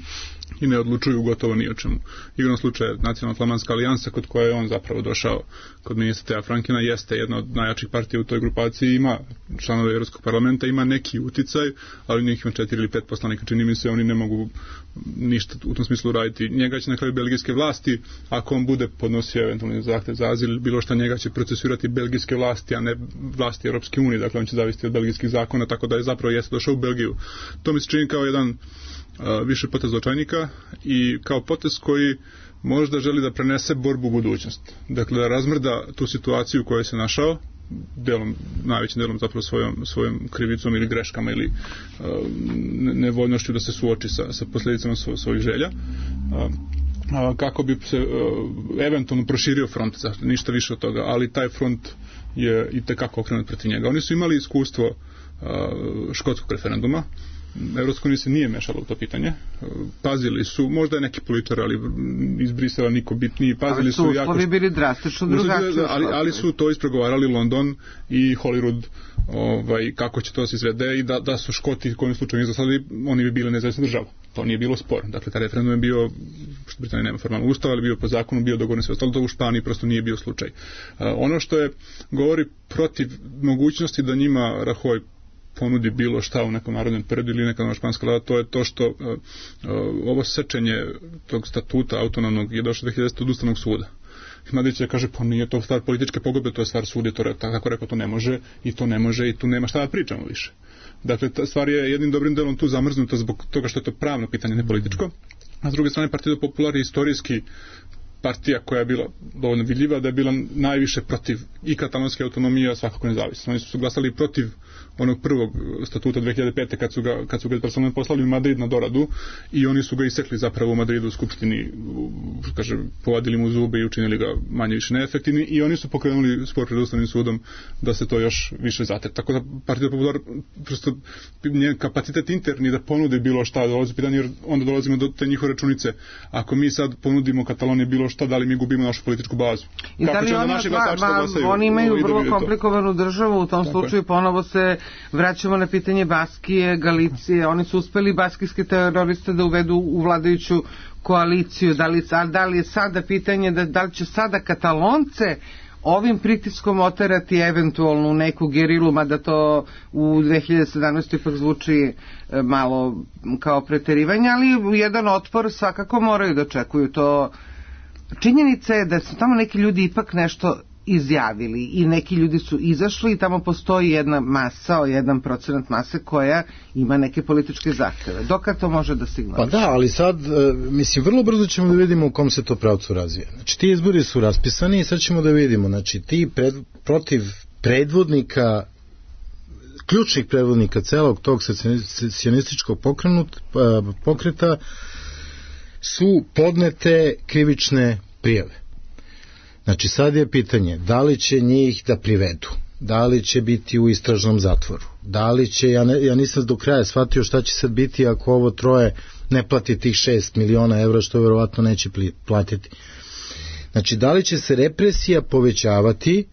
i ne odlučuju gotovo ni o čemu. Igrom slučaja Nacionalna flamanska alijansa, kod koje je on zapravo došao kod ministra Thea Frankena, jeste jedna od najjačih partija u toj grupaciji, ima članove Europskog parlamenta, ima neki uticaj, ali njih ima četiri ili pet poslanika, čini mi se, oni ne mogu ništa u tom smislu raditi. Njega će na kraju belgijske vlasti, ako on bude podnosio eventualni zahtev za azil, bilo što, njega će procesuirati belgijske vlasti, a ne vlasti Europske unije, dakle on će zavisiti od belgijskih zakona, tako da je zapravo jeste došao u Belgiju. To mi se čini kao jedan uh, više potez očajnika i kao potez koji možda želi da prenese borbu u budućnost. Dakle, da razmrda tu situaciju u kojoj se našao, delom, najvećim delom zapravo svojom, svojom krivicom ili greškama ili uh, nevoljnošću da se suoči sa, sa posljedicama svo, svojih želja, uh, uh, kako bi se uh, eventualno proširio front, zašto, ništa više od toga, ali taj front je i tekako okrenut protiv njega. Oni su imali iskustvo uh, škotskog referenduma. Evropska unija se nije mešala u to pitanje. Pazili su, možda je neki političar, ali iz Brisela niko bitniji, pazili ali su, su jako... Ali su bili drastično drugačiji. Ali, ali su to ispregovarali London i Hollywood, ovaj, kako će to se izvede i da, da su Škoti kojim slučaju izglasali, oni bi bili nezavisna država. To nije bilo spor. Dakle, taj referendum je bio, što Britanija nema formalno ustav, ali bio po zakonu, bio dogovoren sve ostalo, to u Španiji prosto nije bio slučaj. Uh, ono što je govori protiv mogućnosti da njima Rajoy ponudi bilo šta u nekom narodnom periodu ili neka nova španska vlada, to je to što uh, uh, ovo sečenje tog statuta autonomnog je došlo dve hiljade desete od Ustavnog suda. Mladić je kaže, pa nije to stvar političke pogodbe, to je stvar suda, to je, tako rekao, to ne može i to ne može i tu nema šta da pričamo više. Dakle, ta stvar je jednim dobrim delom tu zamrznuta zbog toga što je to pravno pitanje, ne političko. A s druge strane, Partido Popular je istorijski partija koja je bila dovoljno vidljiva, da je bila najviše protiv i katalonske autonomije, a svakako nezavisno. Oni su glasali protiv onog prvog statuta dve hiljade pete kad su ga, kad su ga personalno poslali u Madrid na doradu i oni su ga isekli zapravo u Madridu u skupštini, kaže, povadili mu zube i učinili ga manje više neefektivni i oni su pokrenuli spor pred Ustavnim sudom da se to još više zatre. Tako da Partido Popular prosto njen kapacitet interni da ponude bilo šta dolazi u pitanje, jer onda dolazimo do te njihove računice. Ako mi sad ponudimo Kataloniji bilo šta, da li mi gubimo našu političku bazu? I da li oni, ba, ba, oni imaju vrlo komplikovanu državu, u tom Tako slučaju je. Ponovo se vraćamo na pitanje Baskije, Galicije, oni su uspeli baskijske teroriste da uvedu u vladajuću koaliciju, da li, da li je sada pitanje da, da li će sada Katalonce ovim pritiskom oterati eventualno u neku gerilu, mada to u dve hiljade sedamnaeste ipak zvuči malo kao preterivanje, ali jedan otpor svakako moraju da očekuju to. Činjenica je da su tamo neki ljudi ipak nešto izjavili i neki ljudi su izašli i tamo postoji jedna masa, jedan procenat mase koja ima neke političke zahteve. Dokad to može da signališe? Pa da, ali sad, mislim, vrlo brzo ćemo da vidimo u kom se to pravcu razvija. Znači, ti izbori su raspisani i sad ćemo da vidimo, znači, ti pred, protiv predvodnika, ključnih predvodnika celog tog secionističkog pokreta su podnete krivične prijave. Znači sad je pitanje da li će njih da privedu, da li će biti u istražnom zatvoru, da li će, ja, ne, ja nisam do kraja shvatio šta će sad biti ako ovo troje ne plati tih šest miliona evra, što verovatno neće platiti. Znači da li će se represija povećavati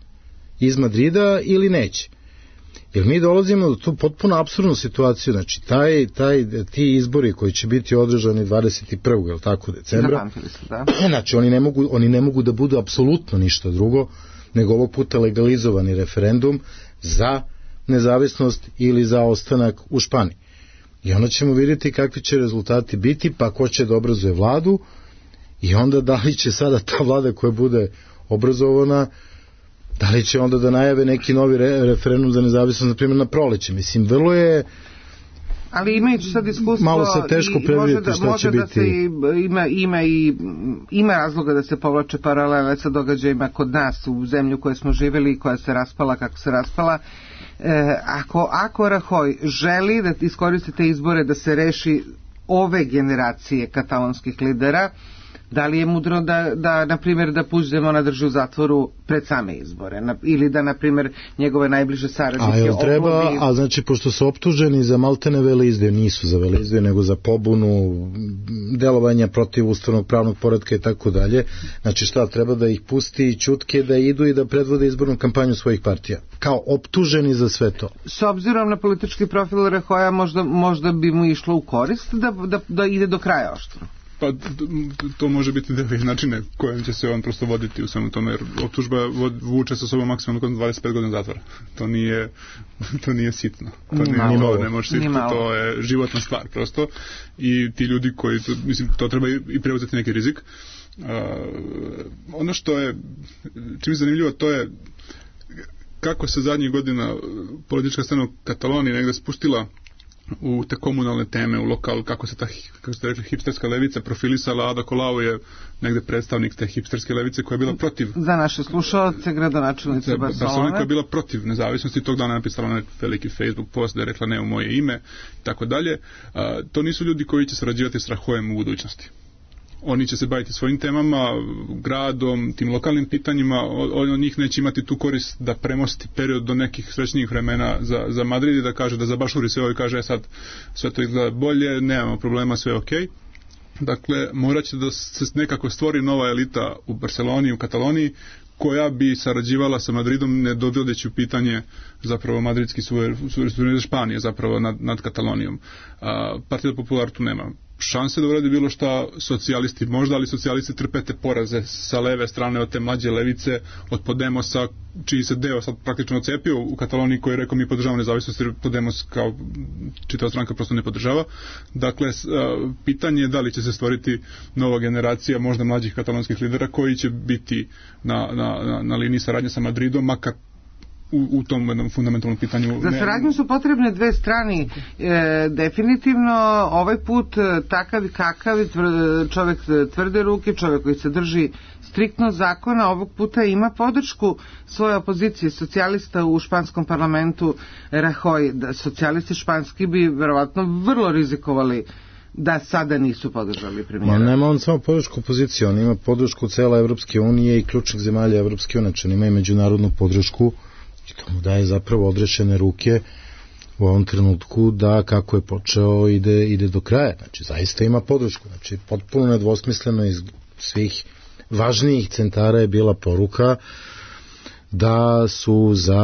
iz Madrida ili neće. Jer mi dolazimo do tu potpuno apsurdnu situaciju, znači taj, taj, ti izbori koji će biti održani dvadeset prvog je li tako, decembra, da. Znači oni ne, mogu, oni ne mogu da budu apsolutno ništa drugo, nego ovog puta legalizovani referendum za nezavisnost ili za ostanak u Španiji. I onda ćemo vidjeti kakvi će rezultati biti, pa ko će da obrazuje vladu i onda da li će sada ta vlada koja bude obrazovana, da li će onda da najave neki novi re, referendum za nezavisnost, na primjer na proleće. Mislim, vrlo je... Ali imajući sad iskustvo... Malo se teško predvidjeti šta će biti... Da se ima, ima, i, ima razloga da se povlače paralele sa događajima kod nas u zemlju koje smo živjeli i koja se raspala kako se raspala. E, ako, ako Rajoy želi da iskoristi te izbore da se reši ove generacije katalonskih lidera, Da li je mudro da, da na primjer, da Puigdemona drži u zatvoru pred same izbore? Na, ili da, na primjer, njegove najbliže saradnike... A jel treba, oblovi... a znači, pošto su optuženi za maltene veleizdaju, nisu za veleizdaju, nego za pobunu, delovanja protiv ustavnog pravnog poretka i tako dalje, znači šta, treba da ih pusti i ćutke da idu i da predvode izbornu kampanju svojih partija? Kao optuženi za sve to? S obzirom na politički profil Rajoya, možda, možda bi mu išlo u korist da, da, da ide do kraja oštro. Pa to može biti deli načine kojim će se on prosto voditi u svemu tome, jer optužba vuče sa sobom maksimalno dvadeset pet godina zatvora. To nije, to nije sitno. To nije, malo, to ne može sitno, to je životna stvar prosto. I ti ljudi koji, to, mislim, to treba i preuzeti neki rizik. Uh, ono što je, čim je zanimljivo, to je kako se zadnjih godina politička scena u Kataloniji negde spustila u te komunalne teme, u lokal, kako se ta, kako ste rekli, hipsterska levica profilisala. Ada Colau je negde predstavnik te hipsterske levice koja je bila protiv... Za naše slušalce, gradonačelnice Barcelone. Koja je bila protiv nezavisnosti, tog dana napisala na veliki Facebook post da je rekla ne u moje ime, i tako dalje. To nisu ljudi koji će sarađivati s Rajoyem u budućnosti. Oni će se baviti svojim temama, gradom, tim lokalnim pitanjima, on od njih neće imati tu korist da premosti period do nekih srećnijih vremena za, za Madrid i da kaže da zabašuri sve ovo i kaže sad sve to izgleda bolje, nemamo problema, sve je okej. Okay. Dakle, morat će da se nekako stvori nova elita u Barceloni, u Kataloniji, koja bi sarađivala sa Madridom, ne dovodeći u pitanje zapravo madridski suverenitet Španije zapravo nad, nad Katalonijom. A, Partida Popular tu nema šanse da uradi bilo šta, socijalisti možda, ali socijalisti trpete poraze sa leve strane od te mlađe levice, od Podemosa, čiji se deo sad praktično ocepio u Kataloniji, koji je rekao mi podržavamo nezavisnost, jer Podemos kao čitava stranka prosto ne podržava. Dakle, pitanje je da li će se stvoriti nova generacija možda mlađih katalonskih lidera koji će biti na, na, na, na liniji saradnje sa Madridom, makar U, u tom jednom fundamentalnom pitanju. Za saradnju su potrebne dve strani. E, definitivno ovaj put takav i kakav čovjek tvrde ruke, čovjek koji se drži striktno zakona, ovog puta ima podršku svoje opozicije, socijalista u španskom parlamentu Rajoy. Da, socijalisti španski bi verovatno vrlo rizikovali da sada nisu podržali premijera. Ma nema on samo podršku opozicije, on ima podršku cela Evropske unije i ključnih zemalja Evropske unije, on ima i međunarodnu podršku i to mu daje zapravo odrešene ruke u ovom trenutku da kako je počeo ide, ide do kraja. Znači, zaista ima podršku. Znači, potpuno nedvosmisleno iz svih važnijih centara je bila poruka da su za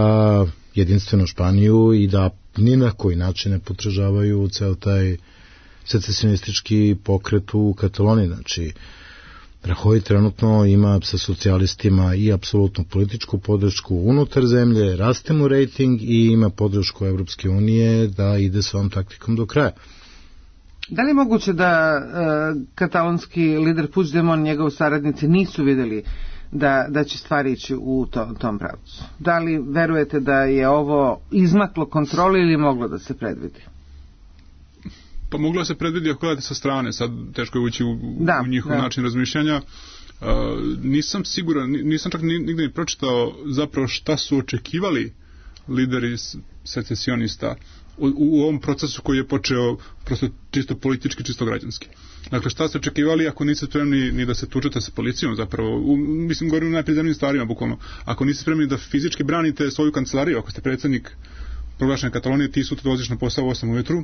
jedinstvenu Španiju i da ni na koji način ne podržavaju ceo taj secesionistički pokret u Kataloniji. Znači, Rajoy trenutno ima sa socijalistima i apsolutnu političku podršku unutar zemlje, raste mu rejting i ima podršku Evropske unije da ide s ovom taktikom do kraja. Da li je moguće da e, katalonski lider Puigdemont, njegovi saradnici nisu vidjeli da, da će stvari ići u to, tom pravcu? Da li verujete da je ovo izmaklo kontroli ili moglo da se predvidi? Pa moglo se predvidi ako gledate sa strane, sad teško je ući u, da, u njihov da. način razmišljanja. Uh, nisam siguran, nisam čak nigde ni pročitao zapravo šta su očekivali lideri secesionista u, u ovom procesu koji je počeo prosto čisto politički, čisto građanski. Dakle, šta ste očekivali ako niste spremni ni da se tučete sa policijom zapravo, u, mislim, govorim o najprizemnim stvarima, bukvalno. Ako niste spremni da fizički branite svoju kancelariju, ako ste predsjednik proglašene Katalonije, ti sutra dođeš na posao u osam ujutru,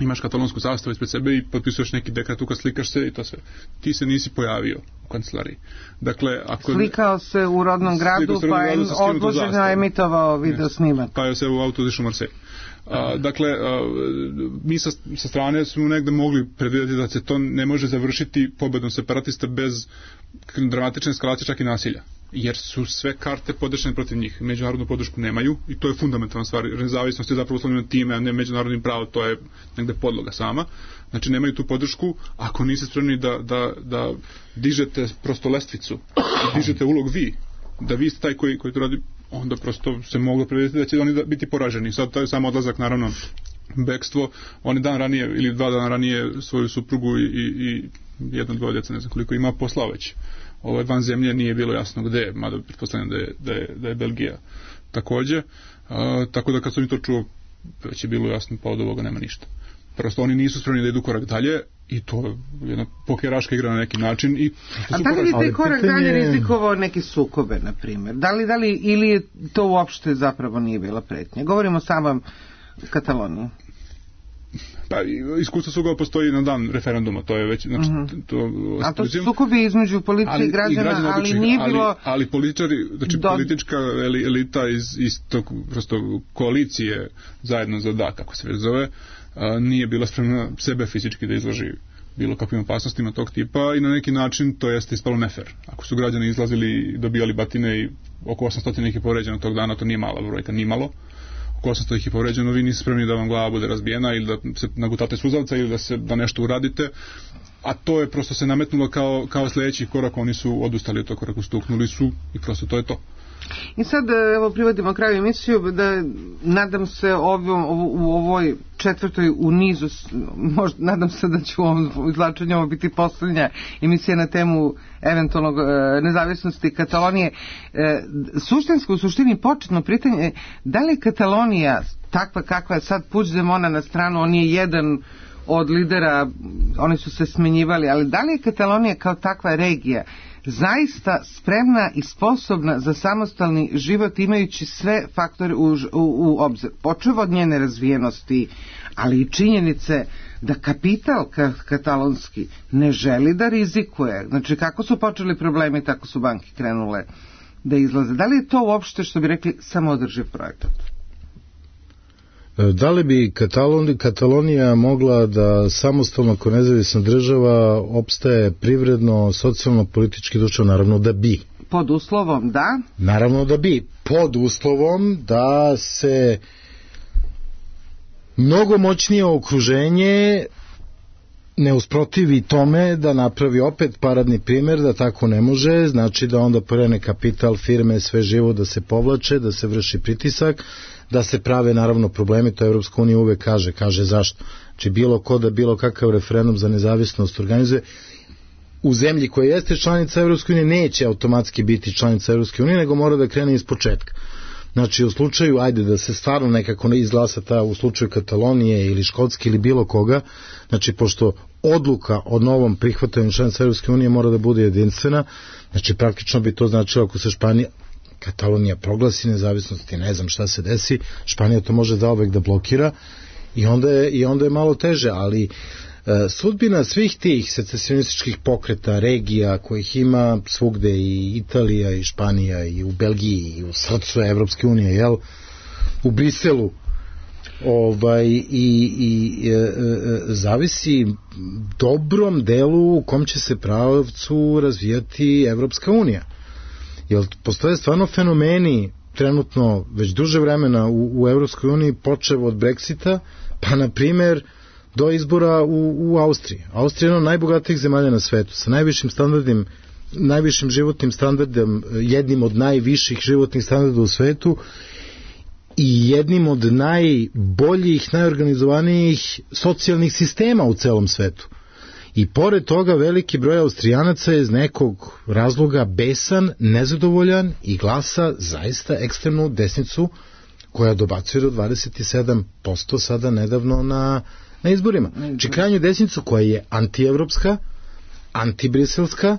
imaš katalonsku zastavu ispred sebe i potpisuješ neki dekret, uka slikaš se i to sve. Ti se nisi pojavio u kancelariji. Dakle, ako... Slikao se u rodnom gradu, pa je odloženo emitovao video snimak. Pa je se u auto otišao u Marsej. A, dakle, a, mi sa, sa strane smo negde mogli predvidjeti da se to ne može završiti pobedom separatista bez dramatične eskalacije, čak i nasilja. Jer su sve karte podešene protiv njih. Međunarodnu podršku nemaju i to je fundamentalna stvar. Nezavisnost je zapravo uslovljena time, a ne međunarodnim pravom, to je negde podloga sama. Znači, nemaju tu podršku. Ako niste spremni da, da, da dižete prosto lestvicu, dižete ulog vi, da vi ste taj koji, koji to radi, onda prosto se moglo predvidjeti da će oni biti poraženi. Sad to je samo odlazak, naravno, bekstvo. Oni dan ranije ili dva dana ranije svoju suprugu i, i, i jedno, dvoje djeca, ne znam koliko ima, poslao već. Ovaj van zemlje nije bilo jasno gde je, mada pretpostavljam da je, da je, da je Belgija takođe. A, tako da kad sam mi to čuo, već je bilo jasno, pa od ovoga nema ništa. Prosto oni nisu spremni da idu korak dalje i to je jedna pokeraška igra na neki način. I a da li je taj korak pitanje... dalje rizikovao neke sukobe, na primjer? Da li, da li, ili to uopšte zapravo nije bila pretnja? Govorimo samo Kataloniji. Pa, iskustvo sukoba postoji na dan referenduma, to je već, znači, uh-huh. to... A to su sukobi između policije i građana, građana ali običnih, nije bilo... Ali, ali političari, znači do... politička elita iz, iz tog, prosto, koalicije zajedno za da, kako se već zove, a, nije bila spremna sebe fizički da izloži bilo kakvim opasnostima tog tipa i na neki način to jeste ispalo nefer. Ako su građani izlazili i dobijali batine i oko osamsto ih je povređeno tog dana, to nije mala brojka, ni malo. Oko osamsto ih je povređeno, vi niste spremni da vam glava bude razbijena ili da se nagutate suzavca ili da, se, da nešto uradite, a to je prosto se nametnulo kao, kao sljedeći korak, oni su odustali od tog koraka, stuknuli su i prosto to je to. I sad, evo, privodimo kraju emisiju, da nadam se ovom, u ovoj četvrtoj u nizu, možda, nadam se da će u ovom izlačenju ovo biti poslednja emisija na temu eventualnog e, nezavisnosti Katalonije. E, suštinsko, u suštini početno pitanje, da li je Katalonija takva kakva je sad Puigdemona na stranu, on je jedan od lidera, oni su se smenjivali, ali da li je Katalonija kao takva regija zaista spremna i sposobna za samostalni život imajući sve faktore u, u, u obzir, počev od njene razvijenosti, ali i činjenice da kapital katalonski ne želi da rizikuje. Znači, kako su počeli problemi, tako su banke krenule da izlaze. Da li je to uopšte, što bi rekli, samoodrživ projekat? Da li bi Katalon, Katalonija mogla da samostalno kao nezavisna država opstaje privredno, socijalno, politički, društveno? Naravno da bi. Pod uslovom da? Naravno da bi. Pod uslovom da se mnogo moćnije okruženje ne usprotivi tome da napravi opet paradni primjer da tako ne može, znači da onda porene kapital, firme, sve živo da se povlače, da se vrši pritisak, da se prave naravno problemi, to Evropska unija uvek kaže, kaže zašto. Znači bilo ko da bilo kakav referendum za nezavisnost organizuje, u zemlji koja jeste članica Evropske unije neće automatski biti članica Evropske unije, nego mora da krene iz početka. Znači u slučaju, ajde da se stvarno nekako ne izglasa ta, u slučaju Katalonije ili Škotske ili bilo koga, znači pošto odluka o novom prihvatanju članica Evropske unije mora da bude jedinstvena, znači praktično bi to značilo ako se Španija, Katalonija proglasi nezavisnost i ne znam šta se desi, Španija to može zauvek da blokira i onda je, i onda je malo teže, ali e, sudbina svih tih secesionističkih pokreta, regija kojih ima svugde, i Italija i Španija i u Belgiji i u srcu Evropske unije, jel, u Briselu, ovaj, i, i e, e, zavisi dobrom delu u kom će se pravcu razvijati Evropska unija. Jer postoje stvarno fenomeni trenutno već duže vremena u, u Evropskoj uniji, počev od Brexita, pa na primjer do izbora u, u Austriji. Austrija je jedna od najbogatijih zemalja na svetu, sa najvišim standardima, najvišim životnim standardom, jednim od najviših životnih standarda u svetu i jednim od najboljih, najorganizovanijih socijalnih sistema u celom svetu. I pored toga veliki broj Austrijanaca je iz nekog razloga besan, nezadovoljan i glasa zaista ekstremnu desnicu koja dobacuje do dvadeset sedam posto sada nedavno na, na izborima. Či krajnju desnicu koja je antievropska, antibriselska,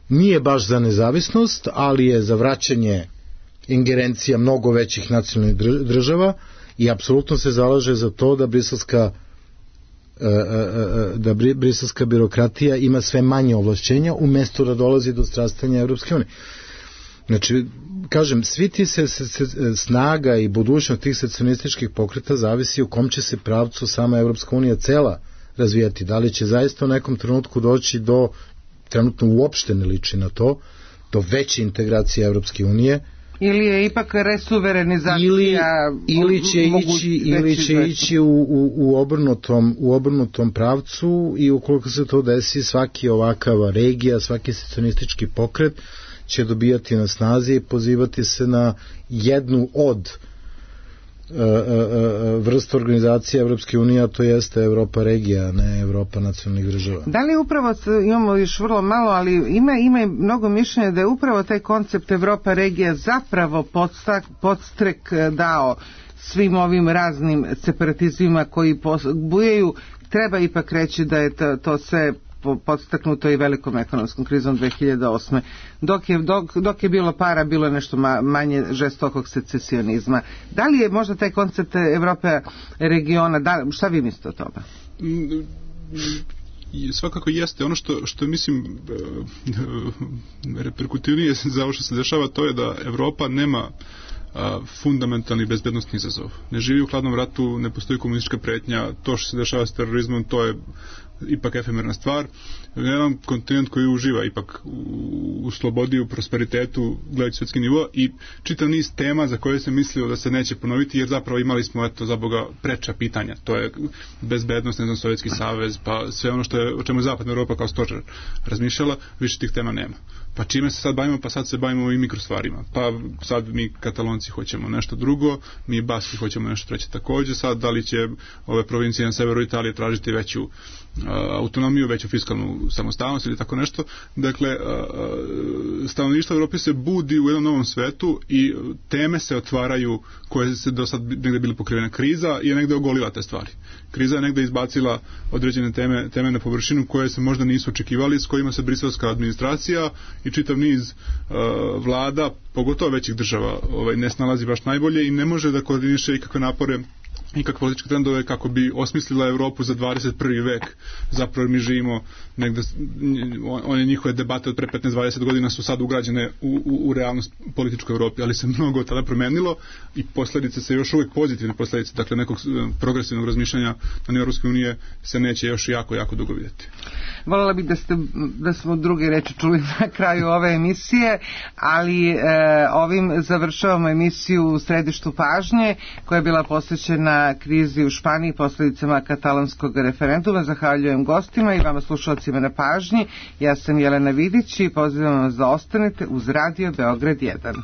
nije baš za nezavisnost, ali je za vraćanje ingerencija mnogo većih nacionalnih država i apsolutno se zalaže za to da briselska da briselska birokratija ima sve manje ovlašćenja umesto da dolazi do strastanja Evropske unije. Znači, kažem, svi ti se, se, se snaga i budućnost tih secesionističkih pokreta zavisi u kom će se pravcu sama Evropska unija cela razvijati. Da li će zaista u nekom trenutku doći do, trenutno uopšte ne liči na to, do veće integracije Evropske unije, ili je ipak resuverenizacija ili, ili će ići, ili će ići u, u, u, obrnutom, u obrnutom pravcu i ukoliko se to desi, svaki ovakav regija, svaki secesionistički pokret će dobijati na snazi i pozivati se na jednu od uh, uh, vrsta organizacije Evropske unije, a to jeste Evropa regija, ne Evropa nacionalnih država. Da li upravo, imamo još vrlo malo, ali ima, ima mnogo mišljenja da je upravo taj koncept Evropa regija zapravo podstak, podstrek dao svim ovim raznim separatizmima koji bujaju treba ipak reći da je to, to sve podstaknuto i velikom ekonomskom krizom dve hiljade osme. Dok je, dok, dok je bilo para, bilo je nešto ma, manje žestokog secesionizma. Da li je možda taj koncept Evrope regiona, da, šta vi mislite o tome? Svakako jeste. Ono što, što mislim reperkutivnije za ovo što se dešava, to je da Evropa nema a, fundamentalni bezbednostni izazov. Ne živi u hladnom ratu, ne postoji komunistička pretnja, to što se dešava s terorizmom, to je ipak efemerna stvar. Jedan kontinent koji uživa ipak u, u slobodi, u prosperitetu, gledajući svjetski nivo, i čitav niz tema za koje se mislio da se neće ponoviti, jer zapravo imali smo, eto, za Boga, preča pitanja. To je bezbednost, ne znam, Sovjetski savez, pa sve ono što je, o čemu je Zapadna Evropa kao stožer razmišljala, više tih tema nema. Pa čime se sad bavimo? Pa sad se bavimo i mikrostvarima. Pa sad mi Katalonci hoćemo nešto drugo, mi Baski hoćemo nešto treće takođe. Sad da li će ove provincije na severu Italije tražiti veću uh, autonomiju, veću fiskalnu samostalnost ili tako nešto. Dakle, uh, stanovništvo Evrope se budi u jednom novom svetu i teme se otvaraju koje se do sad negde bili pokrivene. Kriza je negde ogolila te stvari. Kriza je negde izbacila određene teme, teme na površinu koje se možda nisu očekivali, s kojima se briselska administracija i čitav niz uh, vlada, pogotovo većih država, ovaj, ne snalazi baš najbolje i ne može da koordiniše ikakve napore i kakve političke trendove kako bi osmislila Evropu za dvadeset prvi vek. Zapravo mi živimo negde, one njihove debate od pre petnaest dvadeset godina su sad ugrađene u, u, u realnost političkoj Evropi, ali se mnogo od tada promenilo i posledice se još uvijek pozitivne posledice, dakle nekog progresivnog razmišljanja na nivou Evropske unije se neće još jako, jako dugo vidjeti. Voljela bih da, ste, da smo druge reči čuli na kraju ove emisije, ali e, ovim završavamo emisiju u središtu pažnje koja je bila posvećena krizi u Španiji, posljedicama katalonskog referenduma. Zahvaljujem gostima i vama slušalcima na pažnji. Ja sam Jelena Vidić i pozivam vas da ostanete uz Radio Beograd jedan.